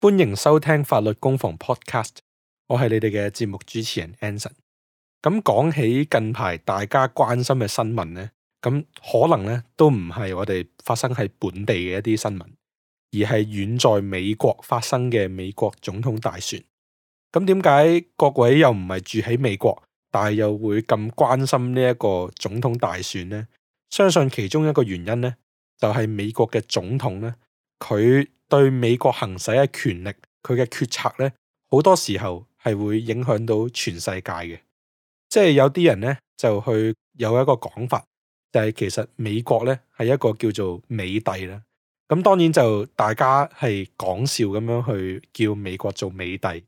歡迎收聽法律攻防 Podcast， 我係你哋嘅節目主持人 Anson。咁講起近排大家關心嘅新聞呢，咁可能呢都唔係我哋發生喺本地嘅一啲新聞，而係遠在美國發生嘅美國總統大選。咁點解各位又唔係住喺美國，但係又會咁關心呢一個總統大選呢？相信其中一個原因呢，就係美國嘅總統呢，佢對美國行使嘅權力，佢嘅決策呢，好多時候係會影響到全世界嘅。即係有啲人呢，就去有一個講法，就係其實美國呢係一個叫做美帝啦。咁當然就大家係講笑咁樣去叫美國做美帝。咁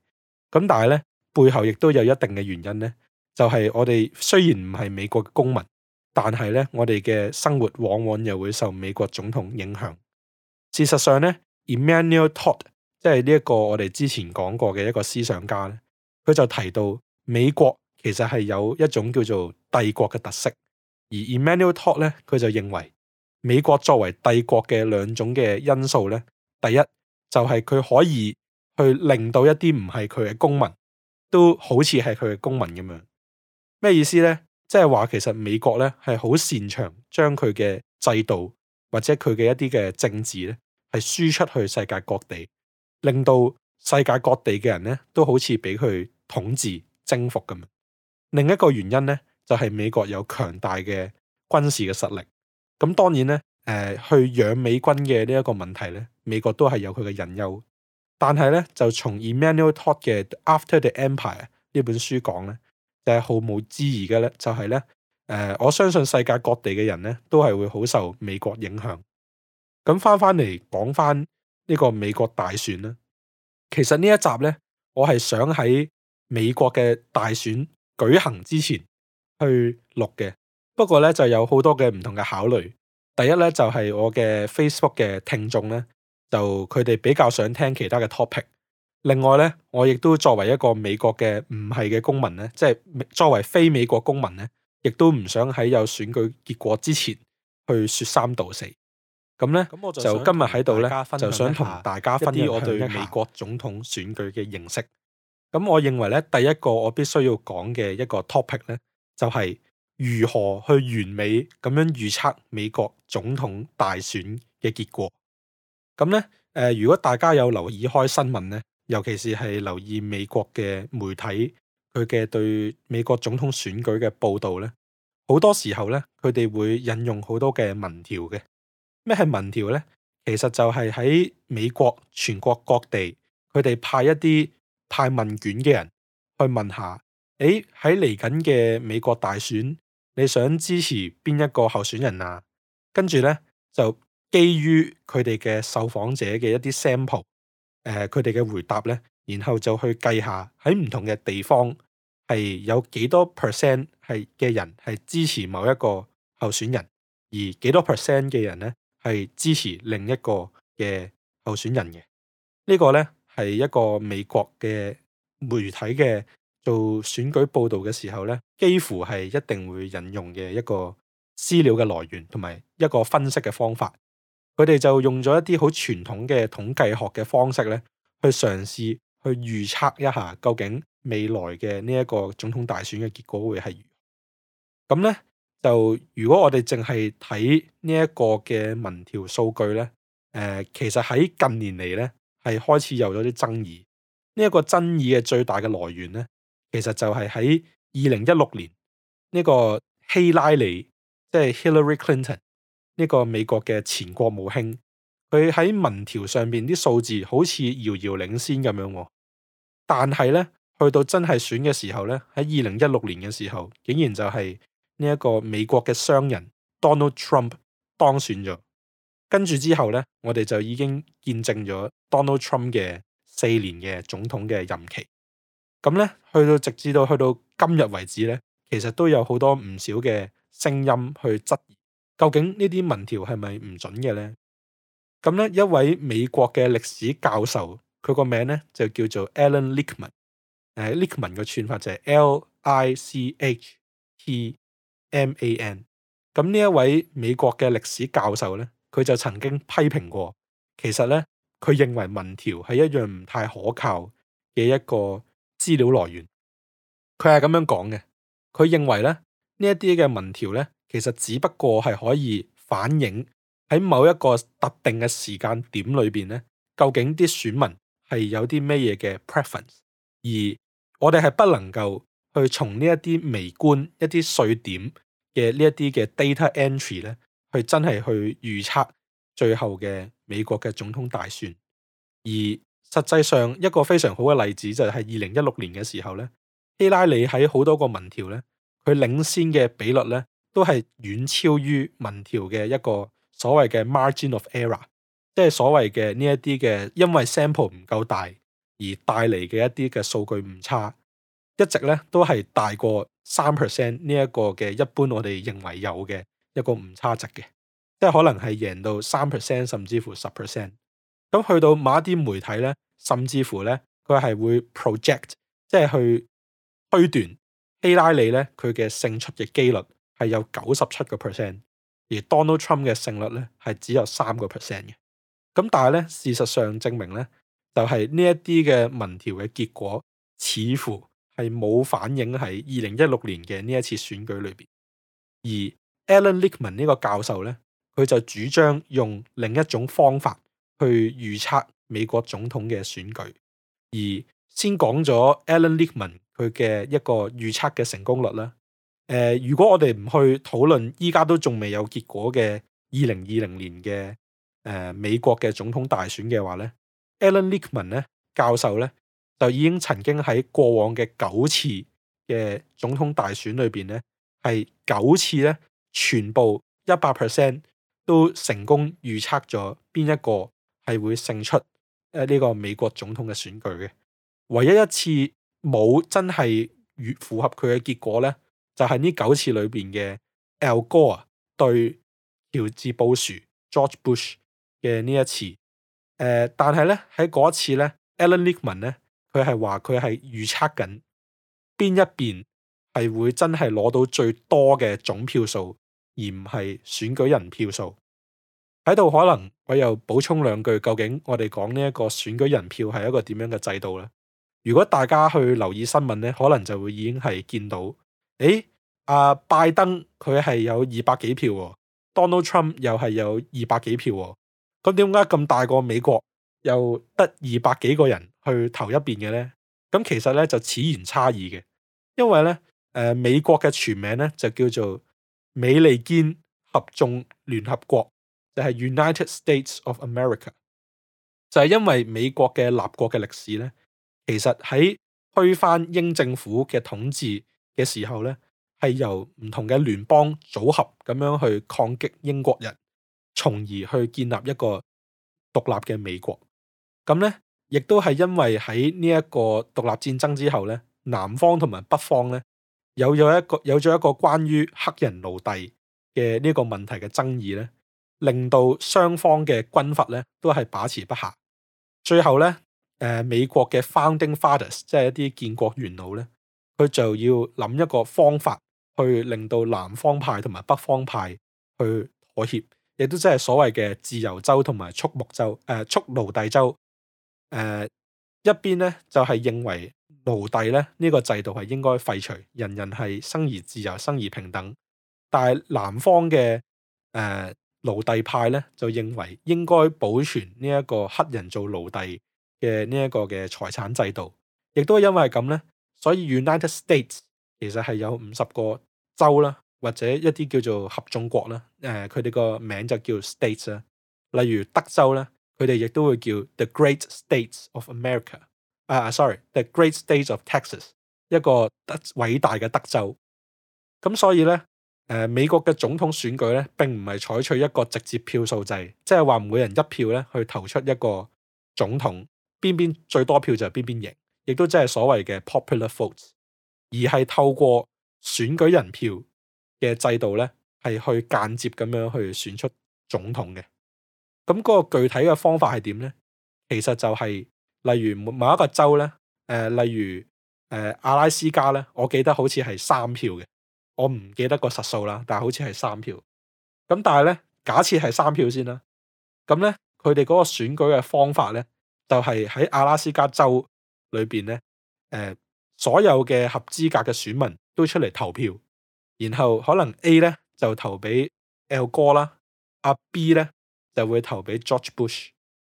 但係呢，背後亦都有一定嘅原因呢，就係我哋雖然唔係美國嘅公民，但係呢，我哋嘅生活往往又會受美國總統影響。事實上呢，Emanuel Todd 即係呢一個我哋之前講過嘅一個思想家咧，佢就提到美國其實係有一種叫做帝國嘅特色，而 Emanuel Todd 咧，佢就認為美國作為帝國嘅兩種嘅因素咧，第一就係佢可以去令到一啲唔係佢嘅公民都好似係佢嘅公民咁樣。咩意思呢？即係話其實美國咧係好擅長將佢嘅制度或者佢嘅一啲嘅政治咧係輸出去世界各地，令到世界各地嘅人咧都好似俾佢統治征服咁。另一個原因咧就係美國有強大嘅軍事嘅實力。咁當然咧，去養美軍嘅呢一個問題咧，美國都係有佢嘅隱憂。但係咧，就從 Emanuel Todd 嘅 After the Empire 呢本書講咧，就係毫無置疑嘅咧，就係咧，我相信世界各地嘅人咧都係會好受美國影響。咁翻嚟講翻呢個美國大選啦，其實呢一集咧，我係想喺美國嘅大選舉行之前去錄嘅，不過咧就有好多嘅唔同嘅考慮。第一咧就係我嘅 Facebook 嘅聽眾咧，就佢哋比較想聽其他嘅 topic。另外咧，我亦都作為一個美國嘅唔係嘅公民咧，即係作為非美國公民咧，亦都唔想喺有選舉結果之前去說三道四。咁咧，我就今日喺度咧，就想同大家分享我對美國總統選舉嘅認識。咁我認為咧，第一個我必須要講嘅一個 topic 咧，就係如何去完美咁樣預測美國總統大選嘅結果。咁咧，如果大家有留意開新聞咧，尤其是係留意美國嘅媒體佢嘅對美國總統選舉嘅報導咧，好多時候咧，佢哋會引用好多嘅民調嘅。咩係民調呢？其實就係喺美國全國各地，佢哋派問卷嘅人去問下，喺嚟緊嘅美國大選，你想支持邊一個候選人啊？跟住呢，就基於佢哋嘅受訪者嘅一啲 sample，佢哋嘅回答呢，然後就去計下喺唔同嘅地方係有幾多 percent 係嘅人係支持某一個候選人，而幾多 percent 嘅人呢，係支持另一個嘅候選人嘅。呢個呢係一個美國嘅媒體嘅做選舉報導嘅時候呢，幾乎係一定會引用嘅一個資料嘅來源同埋一個分析嘅方法。佢哋就用咗一啲好傳統嘅統計學嘅方式呢，去嘗試去預測一下究竟未來嘅呢一個總統大選嘅結果會係如何。咁呢，就如果我哋淨係睇呢一個嘅民調數據咧，其實喺近年嚟咧係開始有咗啲爭議。呢一個爭議嘅最大嘅來源咧，其實就係喺2016年呢個希拉里，即係 Hillary Clinton 呢個美國嘅前國務卿，佢喺民調上邊啲數字好似遙遙領先咁樣，但係咧去到真係選嘅時候咧，喺2016年嘅時候，竟然就係呢一個美國嘅商人 Donald Trump 當選咗，跟住之後呢，我哋就已經見證咗 Donald Trump 嘅4年嘅總統嘅任期。咁呢，直至到去到今日為止呢，其實都有好多唔少嘅聲音去質疑，究竟呢啲民調係咪唔準嘅呢？咁呢，一位美國嘅歷史教授，佢個名呢就叫做 Alan Lichtman，Lichtman 嘅串法就係 Lichtman。咁呢一位美國嘅歷史教授呢，佢就曾經批評過，其實呢，佢認為民調係一樣唔太可靠嘅一個資料來源。佢係咁樣講嘅，佢認為咧呢一啲嘅民調咧，其實只不過係可以反映喺某一個特定嘅時間點裏邊咧，究竟啲選民係有啲咩嘢嘅 preference， 而我哋係不能夠去從呢一啲微觀一啲碎點嘅呢一啲嘅 data entry 咧，去真係去預測最後嘅美國嘅總統大選。而實際上一個非常好嘅例子就係2016年嘅時候咧，希拉里喺好多個民調咧，佢領先嘅比率咧都係遠超於民調嘅一個所謂嘅 margin of error， 即係所謂嘅呢一啲嘅因為 sample 唔夠大而帶嚟嘅一啲嘅數據誤差，一直咧都係大過3% 呢一個嘅一般我哋認為有嘅一個誤差值嘅，即係可能係贏到3% 甚至乎10%。咁去到某一啲媒體咧，甚至乎咧佢係會 project， 即係去推斷希拉里咧佢嘅勝出嘅機率係有97%，而 Donald Trump 嘅勝率咧係只有3%嘅。咁但係咧事實上證明咧，就係呢一啲嘅民調嘅結果似乎係冇反映喺2016年嘅呢一次選舉裏邊。而 Alan Lichtman 呢個教授咧，佢就主張用另一種方法去預測美國總統嘅選舉。而先講咗 Alan Lichtman 佢嘅一個預測嘅成功率啦。如果我哋唔去討論依家都仲未有結果嘅2020年嘅美國嘅總統大選嘅話咧，Alan Lichtman 咧教授咧就已經曾經喺過往嘅9次嘅總統大選裏邊咧，係9次咧全部100% 都成功預測咗邊一個係會勝出呢個美國總統嘅選舉嘅。唯一一次冇真係符合佢嘅結果咧，就係呢9次裏邊嘅 Al Gore 對喬治布殊 George Bush 嘅呢一次。但係咧喺嗰一次咧 Alan Lichtman 咧佢係話佢係預測緊邊一邊係會真係攞到最多嘅總票數，而唔係選舉人票數。喺度可能我又補充兩句，究竟我哋講呢一個選舉人票係一個點樣嘅制度咧？如果大家去留意新聞咧，可能就會已經係見到，拜登佢係有200幾票喎，Donald Trump 又係有200幾票喎，咁點解咁大個美國又得200幾個人去投一邊嘅咧？咁其實咧就此言差異嘅，因為咧美國嘅全名咧就叫做美利堅合眾聯合國，就係 United States of America。就係因為美國嘅立國嘅歷史咧，其實喺推翻英政府嘅統治嘅時候咧，係由唔同嘅聯邦組合咁樣去抗擊英國人，從而去建立一個獨立嘅美國。咁咧，亦都係因為喺呢一個獨立戰爭之後咧，南方同埋北方咧有咗一個關於黑人奴隸嘅呢個問題嘅爭議咧，令到雙方嘅軍閥咧都係把持不下。最後咧，美國嘅 Founding Fathers 即係一啲建國元老咧，佢就要諗一個方法去令到南方派同埋北方派去妥協，亦都即係所謂嘅自由州同埋蓄奴隸州。一邊咧就係認為奴隸咧呢個制度係應該廢除，人人係生而自由、生而平等。但係南方嘅奴隸派咧就認為應該保存呢一個黑人做奴隸嘅呢一個嘅財產制度。亦都因為咁咧，所以 United States 其實係有50個州啦，或者一啲叫做合眾國啦。佢哋個名就叫 States 啦。例如德州咧，佢哋亦都會叫 The Great States of America。The Great States of Texas， 一個偉大嘅德州。咁所以咧，美國嘅總統選舉咧並唔係採取一個直接票數制，即係話每人一票咧去投出一個總統，邊最多票就係邊贏，亦都即係所謂嘅 popular votes， 而係透過選舉人票嘅制度咧，係去間接咁樣去選出總統嘅。咁嗰個具體嘅方法係點咧？其實就係例如某一個州咧，例如阿拉斯加咧，我記得好似係3票嘅，我唔記得個實數啦，但係好似係3票。咁但係咧，假設係3票先啦，咁咧佢哋嗰個選舉嘅方法咧，就係喺阿拉斯加州裏邊咧，所有嘅合資格嘅選民都出嚟投票，然後可能 A 咧就投俾 Al Gore 啦，阿 B 咧就會投俾 George Bush，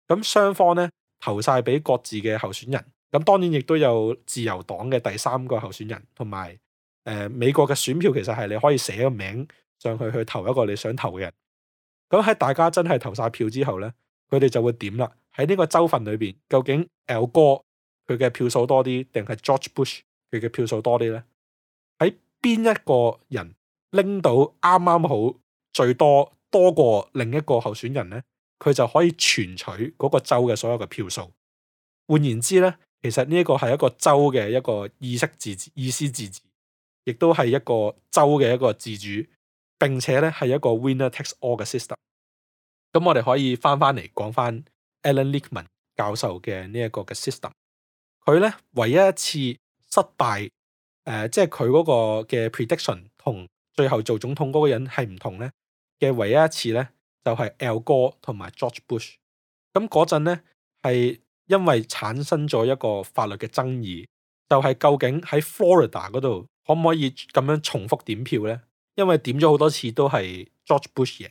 咁雙方咧投晒俾各自嘅候選人，咁當然亦都有自由黨嘅第三個候選人，同埋美國嘅選票其實係你可以寫個名上去投一個你想投嘅人。咁喺大家真係投晒票之後咧，佢哋就會點啦？喺呢個州份裏邊，究竟 Al Gore 佢嘅票數多啲，定係 George Bush 佢嘅票數多啲咧？喺邊一個人拎到啱啱好最多過另一個候選人咧，佢就可以全取嗰個州嘅所有嘅票數。換言之咧，其實呢一個係一個州嘅一個意思自治，亦都係一個州嘅一個自主，並且咧係一個 winner takes all 嘅 system。咁我哋可以翻嚟講翻 Alan Lichtman 教授嘅呢一個嘅 system。佢咧唯一一次失敗，即係佢嗰個嘅 prediction 同最後做總統嗰個人係唔同咧嘅唯一一次咧，就係 Al Gore 同埋 George Bush。咁嗰陣咧係因為產生咗一個法律嘅爭議，就係究竟喺 Florida 嗰度可唔可以咁樣重複點票咧？因為點咗好多次都係 George Bush 贏。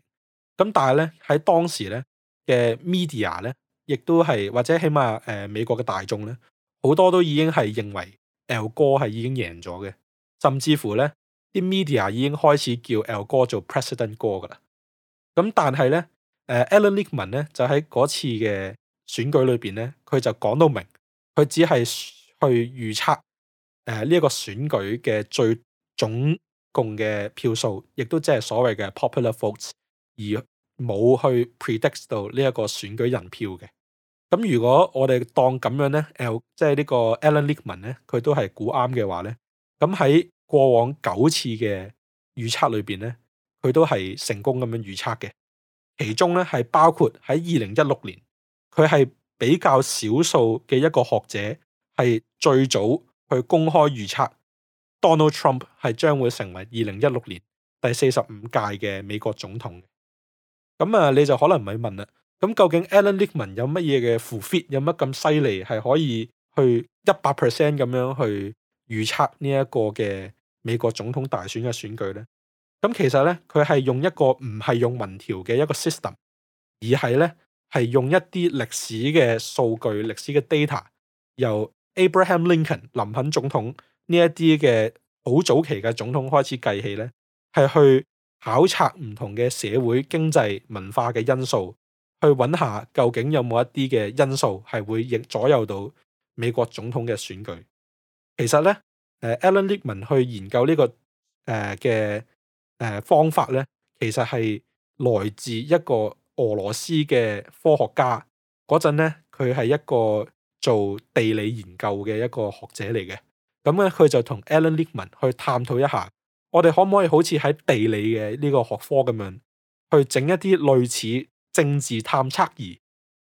咁但係咧喺當時咧嘅 media 咧，亦都係或者起碼美國嘅大眾咧，好多都已經係認為 Al Gore 係已經贏咗嘅，甚至乎咧啲 media 已經開始叫 Al Gore 做 President Gore 噶啦。咁但係咧Alan Lichtman 咧就喺嗰次嘅選舉裏邊咧，佢就講到明，佢只係去預測呢一個選舉嘅最總共嘅票數，亦都即係所謂嘅 popular votes，而冇去 predict 到呢一個選舉人票嘅。咁如果我哋當咁樣咧，即係呢個 Alan Lichtman 咧，佢都係估啱嘅話咧，咁喺過往9次嘅預測裏邊咧，佢都係成功咁樣預測嘅。其中咧係包括喺2016年，佢係比較少數嘅一個學者係最早去公開預測 Donald Trump 係將會成為2016年第45屆嘅美國總統。咁你就可能咪問啦，咁究竟 Alan Lichtman 有乜嘢嘅 fit， 有乜咁犀利係可以去100% 咁樣去預測呢一個嘅美國總統大選嘅選舉咧？咁其實咧，佢係用一個唔係用民調嘅一個 system， 而係咧係用一啲歷史嘅數據、歷史嘅 data， 由 Abraham Lincoln 林肯總統呢一啲嘅好早期嘅總統開始計起咧，係去考察唔同嘅社會、經濟、文化嘅因素，去揾下究竟有冇一啲嘅因素係會左右到美國總統嘅選舉。其實咧，Alan Lichtman 去研究呢個嘅方法咧，其實係來自一個俄羅斯嘅科學家。嗰陣咧，佢係一個做地理研究嘅一個學者嚟嘅。咁咧，佢就同 Alan Lichtman 去探討一下，我哋可唔可以好似喺地理嘅呢個學科咁樣，去整一啲類似政治探測儀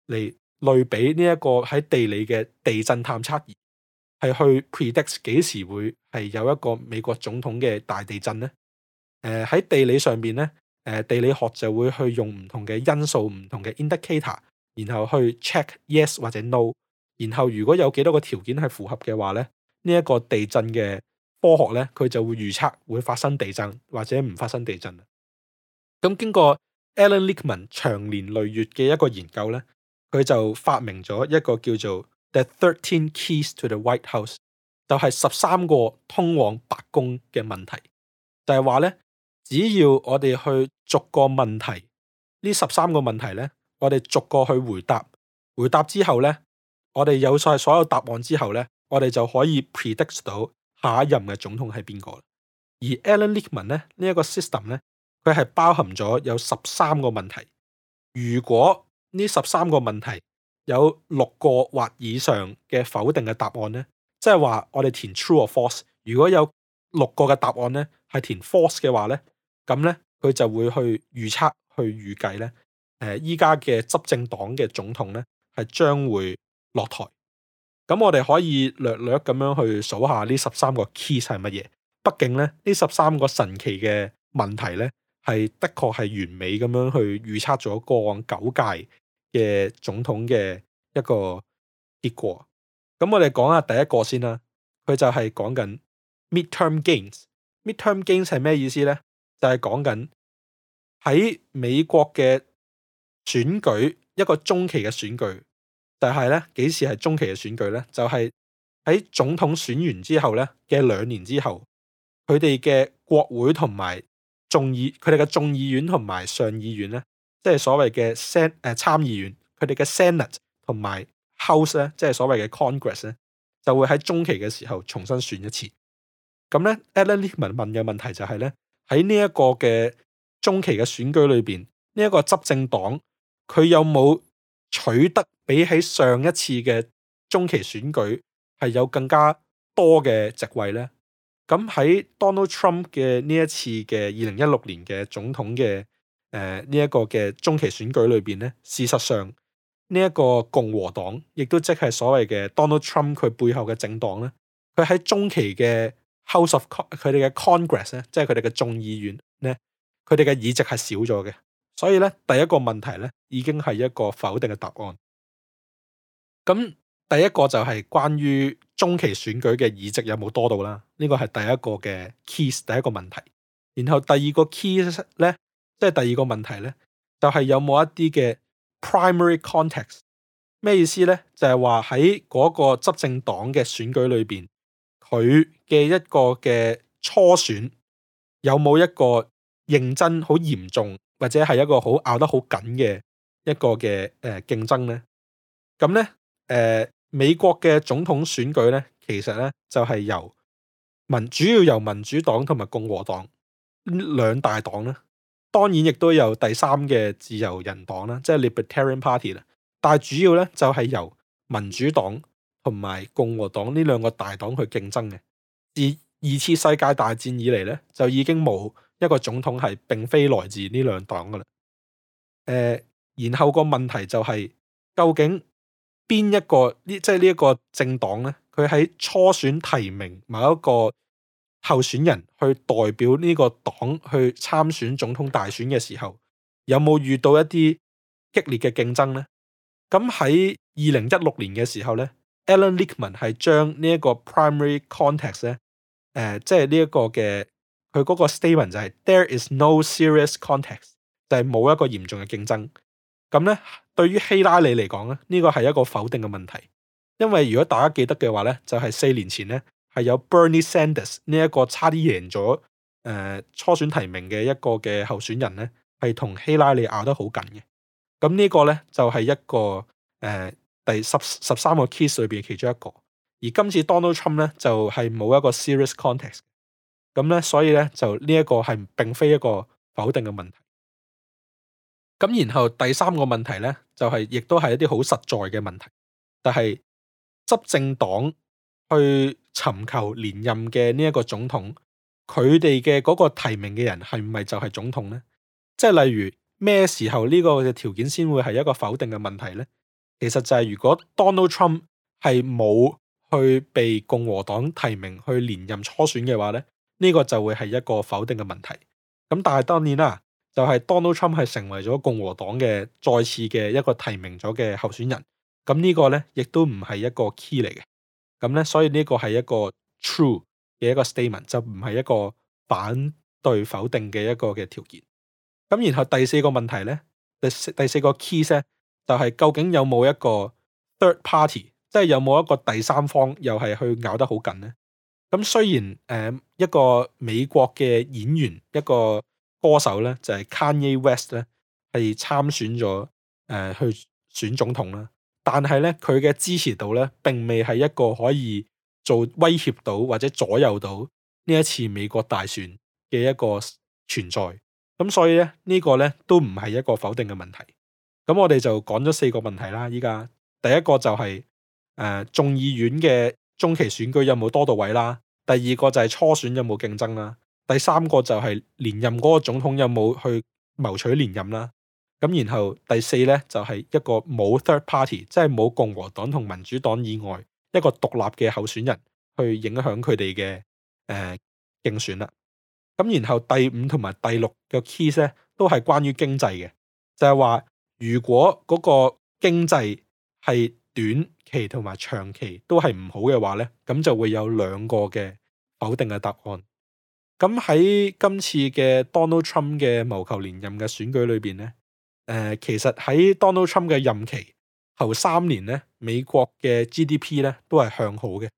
嚟類比呢一個喺地理嘅地震探測儀，係去 predict 幾時會係有一個美國總統嘅大地震呢？喺地理上邊咧，地理學就會去用唔同嘅因素、唔同嘅 indicator， 然後去 check yes 或者 no， 然後如果有幾多個條件係符合嘅話咧，呢一個地震嘅科學咧，佢就會預測會發生地震或者唔發生地震。咁經過 Alan Lichtman 長年累月嘅一個研究咧，佢就發明咗一個叫做 The 13 Keys to the White House， 就係13個通往白宮嘅問題，就係話咧，只要我哋去逐個問題，呢13個問題咧，我哋逐個去回答，回答之後咧，我哋有晒所有答案之後咧，我哋就可以 predict 到下一任嘅總統係邊個。而 Alan Lichtman 咧，呢一個 system 咧，佢係包含咗有13個問題。如果呢13個問題有6個或以上嘅否定嘅答案咧，即係話我哋填 true or false， 如果有6個嘅答案咧係填 false 嘅話咧，咁咧佢就會去預測、去預計咧，依家嘅執政黨嘅總統咧係將會落台。咁我哋可以略略咁樣去數下呢13個 keys 係乜嘢。畢竟咧，呢13個神奇嘅問題咧，係的確係完美咁樣去預測咗過往9屆嘅總統嘅一個結果。咁我哋講下第一個先啦，佢就係講緊 midterm gains。midterm gains 係咩意思呢？就係講緊喺美國嘅選舉，一個中期嘅選舉，就係咧幾時係中期嘅選舉呢？就係喺總統選完之後咧嘅2年之後，佢哋嘅國會同埋佢哋嘅眾議院同埋上議院咧，即係所謂嘅參議院，佢哋嘅 Senate 同埋 House 咧，即係所謂嘅 Congress 咧，就會喺中期嘅時候重新選一次。咁咧 Alan Lichtman 問嘅問題就係咧，喺呢一個嘅中期嘅選舉裏邊，呢一個執政黨佢有冇取得比起上一次嘅中期選舉係有更加多嘅席位呢？咁喺 Donald Trump 嘅呢一次嘅2016年嘅總統嘅呢一個嘅中期選舉裏邊咧，事實上呢一個共和黨亦都即係所謂嘅 Donald Trump 佢背後嘅政黨咧，佢喺中期嘅 House of 佢哋嘅 Congress 咧，即係佢哋嘅眾議院咧，佢哋嘅議席係少咗嘅。所以咧，第一個問題咧已經係一個否定嘅答案。咁第一個就係關於中期選舉嘅議席有冇多到啦，呢個係第一個嘅 keys， 第一個問題。然後第二個 keys 咧，即係第二個問題咧，就係有冇一啲嘅 primary context。咩意思咧？就係話喺嗰個執政黨嘅選舉裏邊，佢嘅一個嘅初選有冇一個認真好嚴重，或者係一個好咬得好緊嘅一個嘅競爭咧？咁咧美國嘅總統選舉咧，其實咧就係主要由民主黨同埋共和黨兩大黨啦，當然亦都有第三嘅自由人黨啦，即係 Libertarian Party 啦。但係主要咧就係由民主黨同埋共和黨呢兩個大黨去競爭嘅。自2次世界大戰以嚟咧，就已經冇一個總統係並非來自呢兩黨噶啦。然後個問題就係究竟邊一個即係呢一個政黨咧，佢喺初選提名某一個候選人去代表呢個黨去參選總統大選嘅時候，有冇遇到一啲激烈嘅競爭呢？咁喺2016年嘅時候咧，Alan Lichtman 係將呢一個 primary context 咧，即係呢一個嘅佢嗰個 statement 就係 there is no serious context， 就係冇一個嚴重嘅競爭。咁咧，對於希拉里嚟講咧，呢個係一個否定嘅問題，因為如果大家記得嘅話咧，就係4年前咧係有 Bernie Sanders 呢一個差啲贏咗初選提名嘅一個嘅候選人咧，係同希拉里咬得好緊嘅。咁呢個咧就係一個第13個 case 裏邊其中一個，而今次 Donald Trump 咧就係冇一個 serious context， 咁咧所以咧就呢一個係並非一個否定嘅問題。咁然後第三個問題咧就係亦都係一啲好實在嘅問題，就係執政黨去尋求連任嘅呢一個總統，佢哋嘅嗰個提名嘅人係唔係就係總統咧？即係例如咩時候呢個嘅條件先會係一個否定嘅問題呢？其實就係如果 Donald Trump 係冇去被共和黨提名去連任初選嘅話咧，呢個就會係一個否定嘅問題。咁但係當然啦，就係 Donald Trump 係成為咗共和黨嘅再次嘅一個提名咗嘅候選人。咁呢個咧亦都唔係一個 key 嚟嘅。咁咧所以呢個係一個 true 嘅一個 statement， 就唔係一個反對否定嘅一個嘅條件。咁然後第四個問題咧，第四個 key 咧，就係究竟有冇一個 third party， 即係有冇一個第三方又係去咬得好緊咧？咁雖然一個美國嘅演員，一個歌手咧，就係 Kanye West 咧，係參選咗去選總統啦，但係咧佢嘅支持度咧並未係一個可以做威脅到或者左右到呢一次美國大選嘅一個存在。咁所以咧呢個咧都唔係一個否定嘅問題。咁我哋就講咗4個問題啦。依家第一個就係眾議院嘅中期選舉有冇多到位啦，第二個就係初選有冇競爭啦，第三個就係連任嗰個總統有冇去謀取連任啦。咁然後第四咧就係一個冇 third party， 即係冇共和黨同民主黨以外一個獨立嘅候選人去影響佢哋嘅競選啦。咁然後第5同埋第6個 keys 咧都係關於經濟嘅，就係話如果嗰個經濟係短期同埋長期都係唔好嘅話呢，咁就會有兩個嘅否定嘅答案。咁喺今次嘅 Donald Trump 嘅謀求連任嘅選舉裏邊呢，其實喺 Donald Trump 嘅任期頭3年呢，美國嘅 GDP 呢都係向好嘅，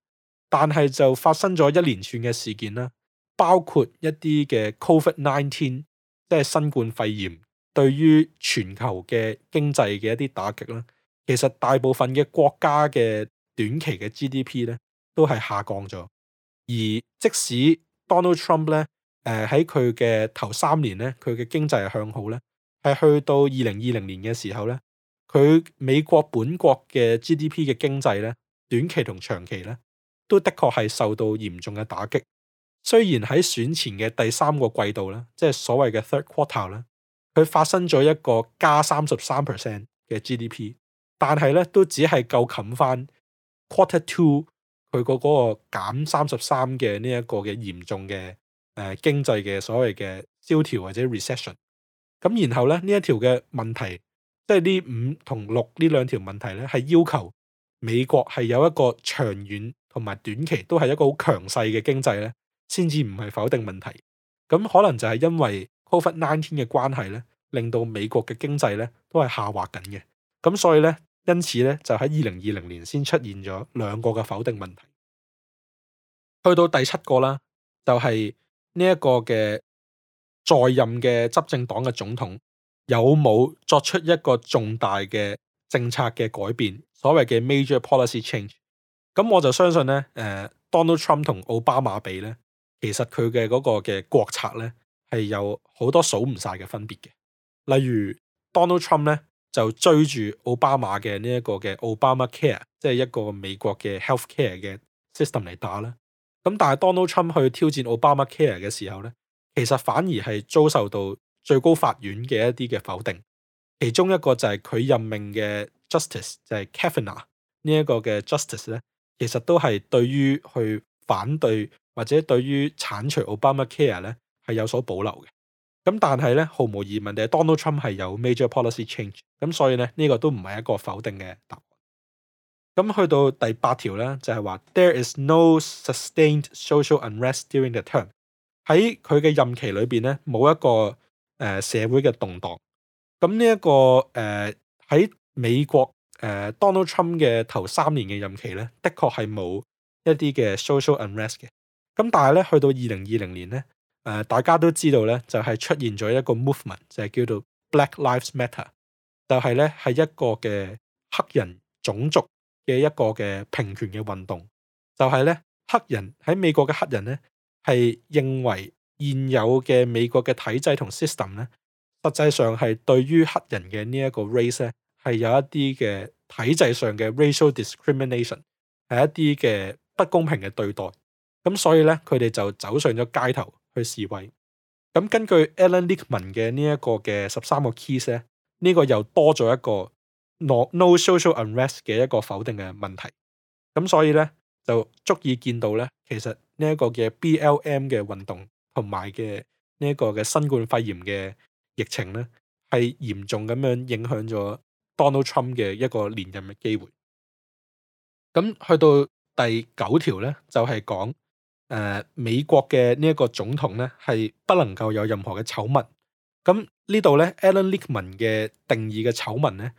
但係就發生咗一連串嘅事件啦，包括一啲嘅 COVID-19，即係新冠肺炎對於全球嘅經濟嘅一啲打擊啦。其實大部分嘅國家嘅短期嘅 GDP 呢都係下降咗，而即使 Donald Trump 咧，喺佢嘅頭3年咧，佢嘅經濟係向好咧，係去到2020年嘅時候咧，佢美國本國嘅 GDP 嘅經濟咧，短期同長期咧，都的確係受到嚴重嘅打擊。雖然喺選前嘅第3個季度咧，即係所謂嘅 third quarter 咧，佢發生咗一個加33% 嘅 GDP，但係咧都只係夠冚翻 quarter 2。佢嗰個減33嘅呢一個嘅嚴重嘅經濟嘅所謂嘅蕭條或者 recession， 咁然後咧呢一條嘅問題，即係呢5同6呢兩條問題咧，係要求美國係有一個長遠同埋短期都係一個好強勢嘅經濟咧，先至唔係否定問題。咁可能就係因為 COVID-19 嘅關係咧，令到美國嘅經濟咧都係下滑緊嘅。咁所以咧，因此咧就喺2020年先出現咗兩個嘅否定問題。去到第7個啦，就係呢一個嘅在任嘅執政黨嘅總統有冇作出一個重大嘅政策嘅改變，所謂嘅 major policy change。咁我就相信咧，Donald Trump 同奧巴馬比咧，其實佢嘅嗰個嘅國策咧係有好多數唔晒嘅分別嘅。例如 Donald Trump 咧就追住奧巴馬嘅呢一個嘅 Obamacare， 即係一個美國嘅 healthcare 嘅 system 嚟打啦。咁但係 Donald Trump 去挑戰 Obamacare 嘅時候咧，其實反而係遭受到最高法院嘅一啲嘅否定。其中一個就係佢任命嘅 Justice 就係 Kavanaugh 呢一個嘅 Justice 咧，其實都係對於去反對或者對於剷除 Obamacare 咧係有所保留嘅。咁但係咧，毫無疑問嘅 Donald Trump 係有 major policy change， 咁所以咧呢個都唔係一個否定嘅答案。咁去到第8條咧，就係話 There is no sustained social unrest during the term。喺佢嘅任期裏邊咧，冇一個社會嘅動盪。咁呢一個喺美國Donald Trump 嘅頭3年嘅任期咧，的確係冇一啲嘅 social unrest 嘅。咁但係咧，去到2020年咧，大家都知道咧，就係出現咗一個 movement，就係叫做 Black Lives Matter， 就係咧係一個嘅黑人種族嘅一個嘅平權嘅運動。就係咧黑人喺美國嘅黑人咧係認為現有嘅美國嘅體制同 system 咧，實際上係對於黑人嘅呢一個 race 咧係有一啲嘅體制上嘅 racial discrimination， 係一啲嘅不公平嘅對待。咁所以咧佢哋就走上咗街頭去示威。咁根據 Alan Lichtman 嘅呢一個嘅13個 keys 咧，呢個又多咗一個 no social unrest 嘅一個否定嘅問題。咁所以咧就足以見到咧，其實呢一個嘅 BLM 嘅運動同埋嘅呢一個嘅新冠肺炎嘅疫情咧，係嚴重咁樣影響咗 Donald Trump 嘅一個連任嘅機會。咁去到第9條咧，就係講美國嘅呢一個總統咧係不能夠有任何嘅醜聞。咁呢度咧 Alan Lichtman 嘅定義嘅醜聞咧，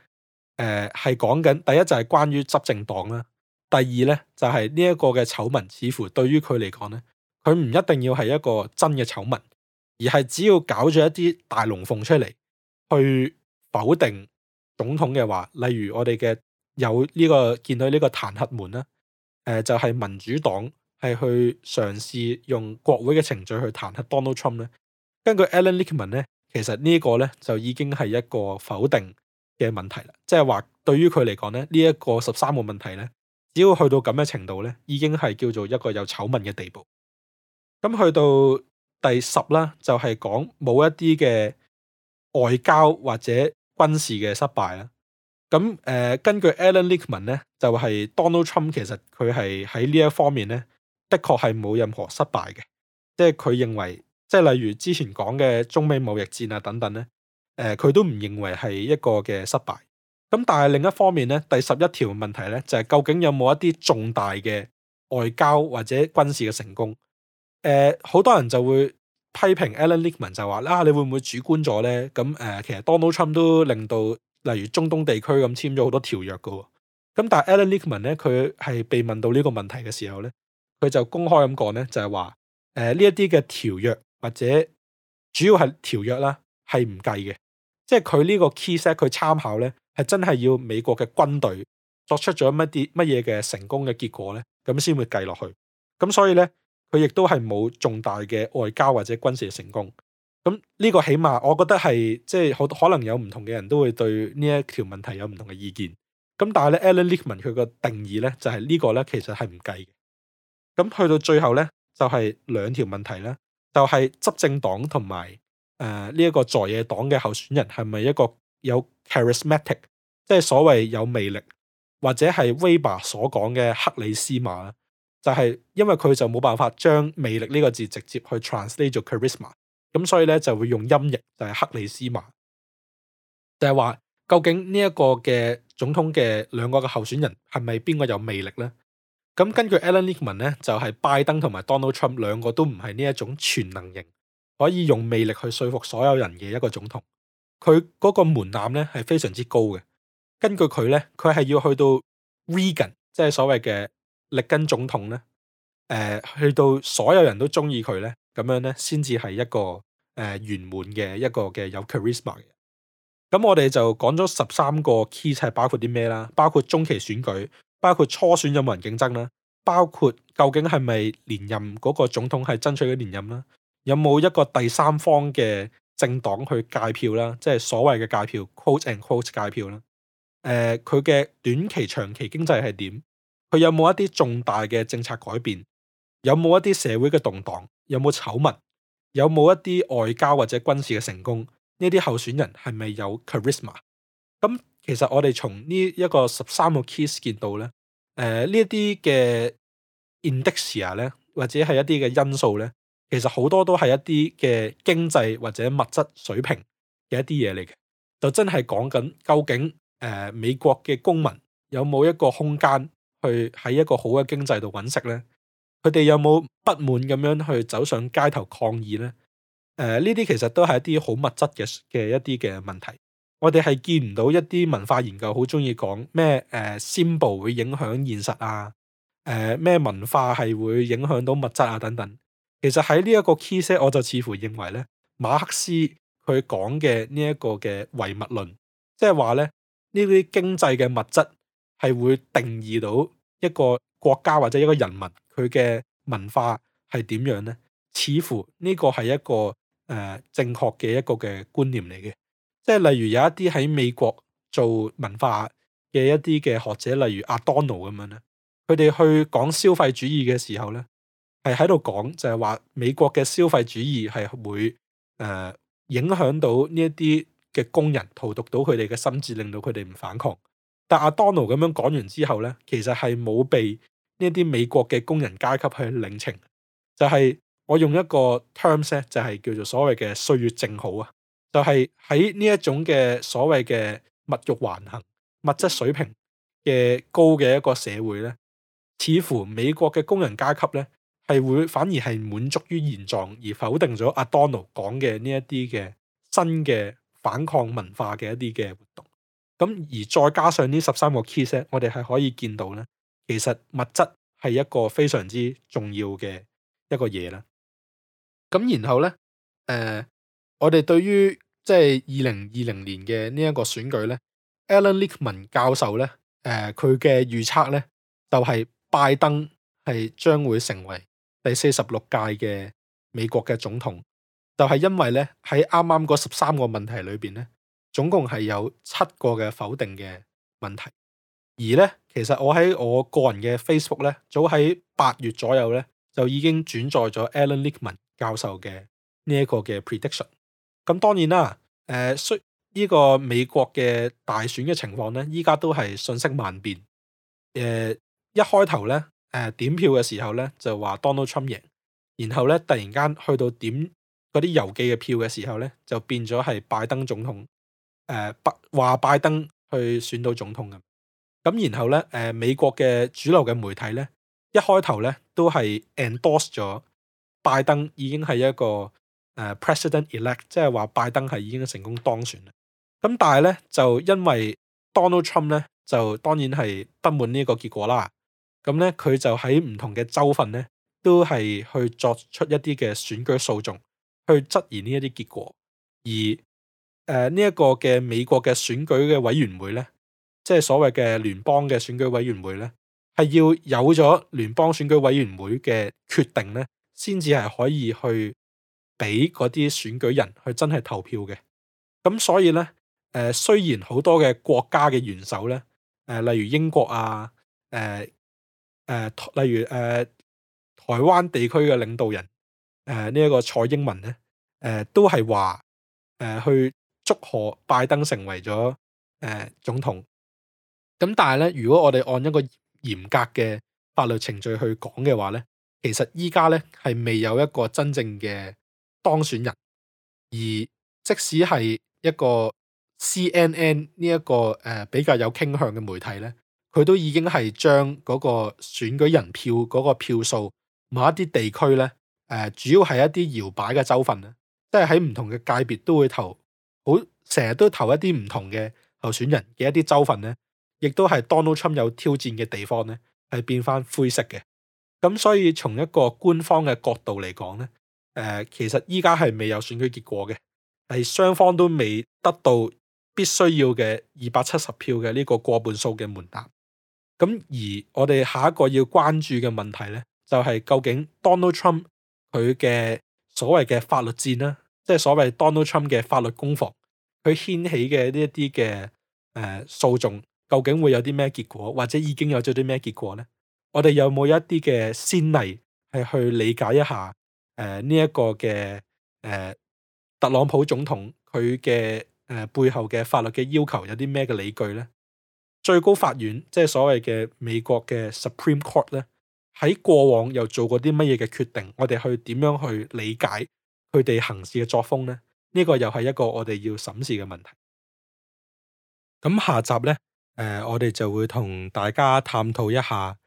係講緊第一就係關於執政黨啦。第二咧就係呢一個嘅醜聞，似乎對於佢嚟講咧，佢唔一定要係一個真嘅醜聞，而係只要搞咗一啲大龍鳳出嚟，去否定總統嘅話，例如我哋嘅有呢個見到呢個彈劾門啦，就係民主黨係去嘗試用國會嘅程序去彈劾 Donald Trump 咧。根據 Alan Lichtman 咧，其實呢個咧就已經係一個否定嘅問題啦，即係話對於佢嚟講咧，呢一個13個問題咧，只要去到咁嘅程度咧，已經係叫做一個有醜聞嘅地步。咁去到第10啦，就係講冇一啲嘅外交或者軍事嘅失敗啦。咁根據 Alan Lichtman 咧，就係 Donald Trump 其實佢係喺呢一方面咧，的確係冇任何失敗嘅。即係佢認為，即係例如之前講嘅中美貿易戰啊等等咧，佢都唔認為係一個嘅失敗。咁但係另一方面咧，第11條問題咧就係究竟有冇一啲重大嘅外交或者軍事嘅成功？好多人就會批評 Alan Lichtman 就話你會唔會主觀咗咧？咁其實 Donald Trump 都令到例如中東地區咁簽咗好多條約㗎喎。咁但係 Alan Lichtman 咧，佢係被問到呢個問題嘅時候咧，佢就公開咁講咧，就係話呢一啲嘅條約或者主要係條約啦，係唔計嘅。即係佢呢個 key set 佢參考咧，係真係要美國嘅軍隊作出咗乜嘢嘅成功嘅結果咧，咁先會計落去。咁所以咧，佢亦都係冇重大嘅外交或者軍事嘅成功。咁呢個起碼我覺得係即係好可能有唔同嘅人都會對呢一條問題有唔同嘅意見。咁但係咧 Alan Lichtman 佢個定義咧就係呢個咧其實係唔計嘅。咁去到最後咧就係兩條問題咧，就係執政黨同埋呢一個在野黨嘅候選人係咪一個有 charismatic，即係所謂有魅力，或者係 Weber 所講嘅克里斯瑪，就係因為佢就冇辦法將魅力呢個字直接去 translate 做 charisma， 咁所以咧就會用音譯就係克里斯瑪，就係話究竟呢一個嘅總統嘅兩個嘅候選人係咪邊個有魅力呢？咁根據 Alan Lichtman 咧，就係拜登同埋 Donald Trump 兩個都唔係呢一種全能型，可以用魅力去說服所有人嘅一個總統。佢嗰個門檻咧係非常之高嘅。根據佢咧，佢係要去到 Reagan，即係所謂嘅力根總統咧，去到所有人都中意佢咧，咁樣咧先至係一個圓滿嘅一個嘅有 charisma 嘅。咁我哋就講咗13個 key 係包括啲咩啦？包括中期選舉，包括初選有冇人競爭啦，包括究竟係咪連任嗰個總統係爭取嘅連任啦，有冇一個第三方嘅政黨去界票啦，即係所謂嘅界票 quote and quote 界票啦。佢嘅短期長期經濟係點？佢有冇一啲重大嘅政策改變？有冇一啲社會嘅動盪？有冇醜聞？有冇一啲外交或者軍事嘅成功？呢啲候選人係咪有 charisma？ 咁其實我哋從呢一個13個 keys 見到咧，呢一啲嘅 indicia 咧，或者係一啲嘅因素咧，其實好多都係一啲嘅經濟或者物質水平嘅一啲嘢嚟嘅，就真係講緊究竟美國嘅公民有冇一個空間去喺一個好嘅經濟度揾食咧？佢哋有冇不滿咁樣去走上街頭抗議咧？呢啲其實都係一啲好物質嘅一啲嘅問題。我哋係見唔到一啲文化研究好中意講咩symbol 會影響現實啊，咩文化係會影響到物質啊等等。其實喺呢一個 key set，我就似乎認為咧，馬克思佢講嘅呢一個嘅唯物論，即係話咧呢啲經濟嘅物質係會定義到一個國家或者一個人民佢嘅文化係點樣咧？似乎呢個係一個正確嘅一個嘅觀念嚟嘅。即係例如有一啲喺美國做文化嘅一啲嘅學者，例如阿多諾咁樣咧，佢哋去講消費主義嘅時候咧，係喺度講就係話美國嘅消費主義係會影響到呢一啲嘅工人，荼毒到佢哋嘅心智，令到佢哋唔反抗。但阿多諾咁樣講完之後咧，其實係冇被呢一啲美國嘅工人階級去領情，就係我用一個 terms 咧，就係叫做所謂嘅歲月靜好啊。就係喺呢一種嘅所謂嘅物欲橫行、物質水平嘅高嘅一個社會咧，似乎美國嘅工人階級咧係會反而係滿足於現狀，而否定咗阿多諾講嘅呢一啲嘅新嘅反抗文化嘅一啲嘅活動。咁而再加上呢13個 key set，我哋係可以見到咧，其實物質係一個非常之重要嘅一個嘢啦。咁然後咧，我哋對於即係2020年嘅呢一個選舉咧，Alan Lichtman 教授咧，佢嘅預測咧就係拜登係將會成為第46屆嘅美國嘅總統，就係因為咧喺啱啱嗰13個問題裏邊咧，總共係有7個嘅否定嘅問題，而咧其實我喺我個人嘅 Facebook 咧，早喺8月左右咧就已經轉載咗 Alan Lichtman 教授嘅呢一個嘅 prediction。咁當然啦，呢個美國嘅大選嘅情況咧，依家都係瞬息萬變。一開頭咧，點票嘅時候咧就話 Donald Trump 贏，然後咧突然間去到點嗰啲郵寄嘅票嘅時候咧，就變咗係拜登總統。話拜登去選到總統嘅。咁然後咧，美國嘅主流嘅媒體咧，一開頭咧都係 endorse 咗拜登已經係一個president elect，即係話拜登係已經成功當選啦。咁但係咧就因為 Donald Trump 咧就當然係不滿呢個結果啦。咁咧佢就喺唔同嘅州份咧都係去作出一啲嘅選舉訴訟，去質疑呢一啲結果。而呢一個嘅美國嘅選舉嘅委員會咧，即係所謂嘅聯邦嘅選舉委員會咧，係要有咗聯邦選舉委員會嘅決定咧，先至係可以去俾嗰啲選舉人去真係投票嘅。咁所以咧，雖然好多嘅國家嘅元首咧，例如英國啊，例如台灣地區嘅領導人，呢一個蔡英文咧，都係話去祝賀拜登成為咗總統。咁但係咧，如果我哋按一個嚴格嘅法律程序去講嘅話咧，其實依家咧係未有一個真正嘅當選人，而即使係一個 CNN 呢一個比較有傾向嘅媒體咧，佢都已經係將嗰個選舉人票嗰個票數某一啲地區咧，主要係一啲搖擺嘅州份咧，即係喺唔同嘅界別都會投，好成日都投一啲唔同嘅候選人嘅一啲州份咧，亦都係 Donald Trump 有挑戰嘅地方咧，係變翻灰色嘅。咁所以從一個官方嘅角度嚟講咧，其實依家係未有選舉結果嘅，係雙方都未得到必須要嘅270票嘅呢個過半數嘅門檻。咁而我哋下一個要關注嘅問題咧，就係究竟 Donald Trump 佢嘅所謂嘅法律戰啦，即係所謂 Donald Trump 嘅法律攻防，佢掀起嘅呢一啲嘅訴訟，究竟會有啲咩結果，或者已經有咗啲咩結果咧？我哋有冇一啲嘅先例係去理解一下呢一個嘅特朗普總統佢嘅背後嘅法律嘅要求有啲咩嘅理據咧？最高法院即係所謂嘅美國嘅 Supreme Court 咧，喺過往又做過啲乜嘢嘅決定？我哋去點樣去理解佢哋行事嘅作風咧？呢個又係一個我哋要審視嘅問題。咁下集咧，我哋就會同大家探討一下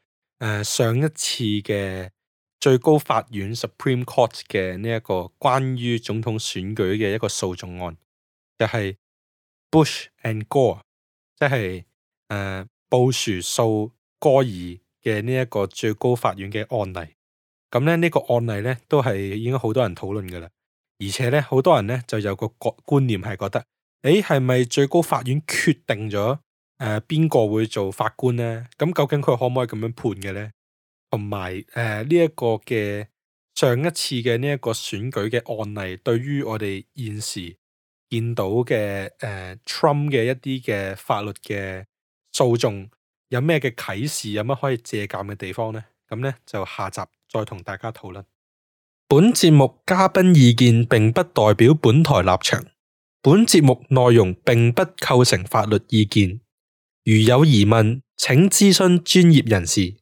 上一次嘅最高法院 Supreme Court 嘅呢一個關於總統選舉嘅一個訴訟案，就係 Bush and Gore， 即係布殊訴戈爾嘅呢一個最高法院嘅案例。咁咧呢個案例咧都係已經好多人討論噶啦，而且咧好多人咧就有個觀念係覺得，係咪最高法院決定咗邊個會做法官咧？咁究竟佢可唔可以咁樣判嘅咧？同埋呢一個嘅上一次嘅呢一個選舉嘅案例，對於我哋現時見到嘅Trump 嘅一啲嘅法律嘅訴訟有咩嘅啟示，有乜可以借鑒嘅地方呢？咁呢，就下集再同大家討論。本節目嘉賓意見並不代表本台立場，本節目內容並不構成法律意見，如有疑問請諮詢專業人士。